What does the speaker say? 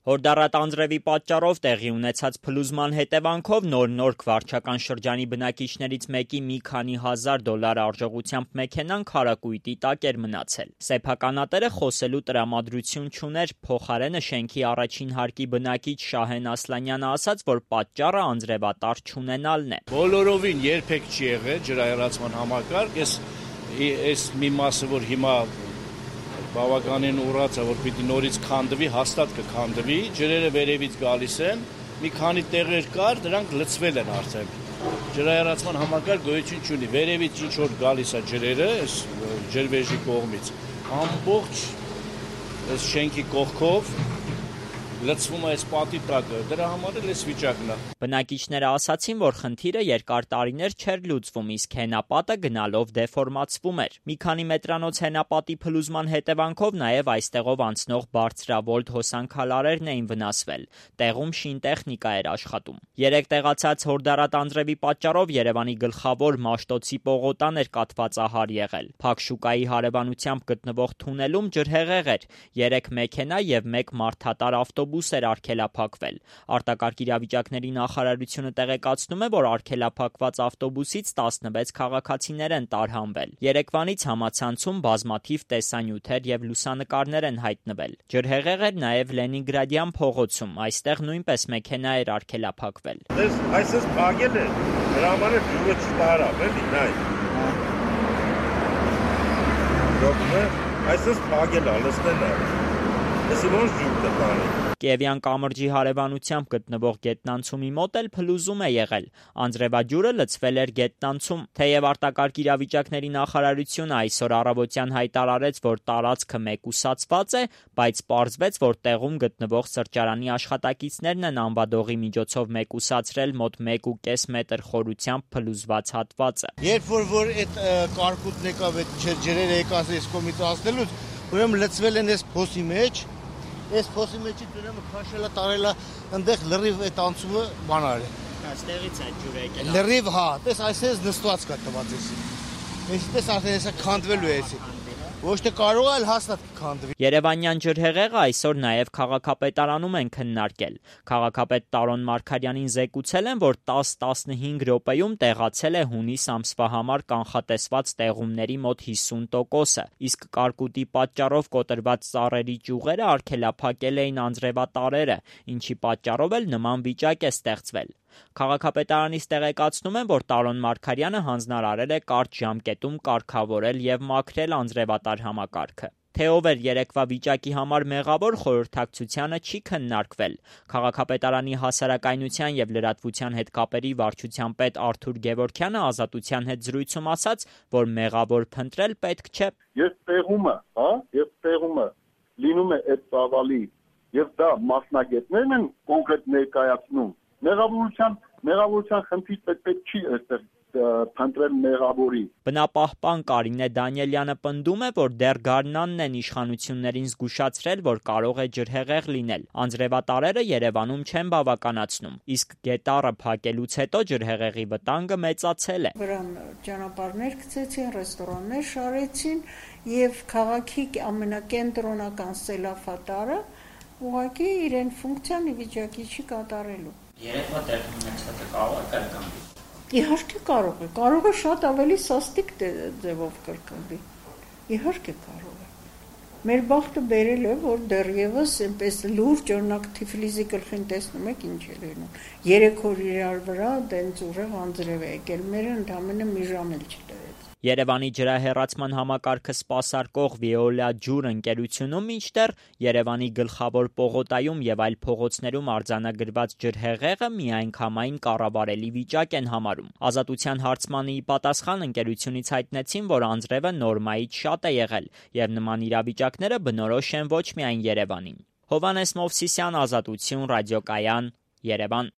Հորդառատ անձրևի պատճառով տեղի ունեցած փլուզման հետևանքով նոր վարչական շրջանի բնակիչներից մեկի մի քանի $1000 արժողությամբ մեքենան քարակույտի տակ էր մնացել։ Սեփականատերը խոսելու տրամադրություն չուներ, փոխարենը շենքի առաջին հարկի բնակիչ Շահեն Ասլանյանը ասաց, որ պատճառը անձրևատար չունենալն է։ Բոլորովին երբեք չի եղել ջրահեռացման համակարգ, այս մի մասը, որ հիմա բավականին ուռած է, որ պիտի նորից քանդվի, հաստատ կքանդվի, ջրերը վերևից գալիս են, մի քանի տեղեր կար, դրանք լցվել են արդեն։ Ջրահեռացման համակարգ գոյություն չունի, վերևից ինչ որ գալիս է ջրերը, այս ջրվեժի կողմից, ամբողջ այս շենքի կողքով լցվում է այս պատի տակը, դրա համար էլ այս վիճակն է։ Բնակիչները ասացին, որ խնդիրը երկար տարիներ չէր լուծվում, իսկ հենապատը գնալով դեֆորմացվում էր։ Մի քանի մետրանոց հենապատի փլուզման հետևանքով նաև այստեղով անցնող բարձրավոլտ հոսանքալարերն էին վնասվել։ Տեղում շինտեխնիկա էր աշխատում։ Երեք տեղացած հորդառատ անձրևի պատճառով Երևանի գլխավոր Մաշտոցի պողոտան էր կաթվածահար եղել։ Փակ շուկայի հարևանությամբ գտնվող թունելում ջրհեղեղ էր։ 3 մեքենա եւ 1 մարդատար ավտոբուս էր արգելափակվել։ Արտակարգ իրավիճակների նախարարությունը տեղեկացնում է, որ արգելափակված ավտոբուսից 16 քաղաքացիներ են տարհանվել։ Երեկվանից համացանցում բազմաթիվ տեսանյութեր եւ լուսանկարներ են հայտնվել։ Ջրհեղեղ էր նաեւ Լենինգրադյան փողոցում, այստեղ նույնպես մեքենա էր արգելափակվել։ Այսպես փակել է, դրա համար ջուրը չտարավ, էլի, նայ։ Այսպես փակել է, լստել է։ Էսի ոնց ջուր կտանի։ Կիևյան կամրջի հարևանությամբ գտնվող գետնանցումի մոտ էլ փլուզում է եղել։ Անձրևաջուրը լցվել էր գետնանցում։ Թեև արտակարգ իրավիճակների նախարարությունը այսօր առավոտյան հայտարարեց, որ տարածքը մեկուսացված է, բայց պարզվեց, որ տեղում գտնվող սրճարանի աշխատակիցներն են անվադողի միջոցով մեկուսացրել մոտ 1.5 մետր խորությամբ փլուզված հատվածը։ Երբ որ այդ կարկուտն եկավ, այդ ջրերը եկած այս կողմից ասնելուց, ուրեմն լցվել են այս փոսի մեջ։ Այս փոսի մեջից ուրեմն քաշելա տարելա այնտեղ լրիվ այդ անցումը բան արել։ Այստեղից է ջուրը եկել։ Լրիվ, հա, տես այսպես նստված կա տված էսի։ Այսպես արդեն հեսա քանդվելու է էսի։ Ոչ թե կարող է հաստատ քանդվի։ Երևանյան ջրհեղեղը այսօր նաև քաղաքապետարանում են քննարկել։ Քաղաքապետ Տարոն Մարգարյանին զեկուցել են, որ 10-15 րոպեում տեղացել է հունիս ամսվա համար կանխատեսված տեղումների մոտ 50%-ը, իսկ կարկուտի պատճառով կոտրված ծառերի ճյուղերը արգելափակել էին անձրևատարերը, ինչի պատճառով էլ նման վիճակ է ստեղծվել։ Քաղաքապետարանից տեղեկացնում են, որ Տարոն Մարգարյանը հանձնարարել է կարճ ժամկետում կարգավորել եւ մաքրել անձրևատար համակարգը։ Թե ով էր երեկվա վիճակի համար մեղավոր, խորհրդակցությանը չի քննարկվել։ Քաղաքապետարանի հասարակայնության եւ լրատվության հետ կապերի վարչության պետ Արթուր Գևորգյանը Ազատության հետ զրույցում ասաց, որ մեղավոր փնտրել պետք չէ։ Ես տեղումը լինում է այդ ծավալի եւ դա մասնագետներն են կոնկրետ ներկայացնում։ Մեղավորության խնդիր պետք չի այստեղ փնտրել մեղավորի։ Բնապահպան Կարինե Դանիելյանը պնդում է, որ դեռ գարնանն են իշխանություններին զգուշացրել, որ կարող է ջրհեղեղ լինել։ Անձրևատարերը Երևանում չեն բավականացնում, իսկ գետառը փակելուց հետո ջրհեղեղի վտանգը մեծացել է։ Վրան ճանապարհներ գծեցին, ռեստորաններ շարեցին եւ քաղաքի ամենակենտրոնական սելավատարը ուղղակի իրեն ֆունկցիան ի վիճակի չի կատարելու։ Երեկվա տեղի ունեցածը կարող է կրկնվի։ Իհարկե կարող է շատ ավելի սաստիկ ձևով կրկնվի։ Իհարկե կարող է։ Մեր բախտը բերել է, որ դեռևս այնպես լուրջ օրինակ Թիֆլիսի գլխին տեսնում եք ինչ է լինում։ 3 օր իրար վրա դենց ուժեղ անձրև է եկել, մերը ընդամենը մի ժամ էլ չտևեց։ Երևանի ջրահեռացման համակարգը սպասարկող Veolia ջուր ընկերությունում մինչդեռ Երևանի գլխավոր պողոտայում եւ այլ փողոցներում արձանագրված ջրհեղեղը միանգամայն կառավարելի վիճակ են համարում։ Ազատության հարցմանի պատասխան ընկերությունից հայտնեցին, որ անձրևը նորմայից շատ է եղել եւ նման իրավիճակները բնորոշ են ոչ միայն Երևանին։ Հովհաննես Մովսիսյան, Ազատություն, ռադիոկայան, Երևան։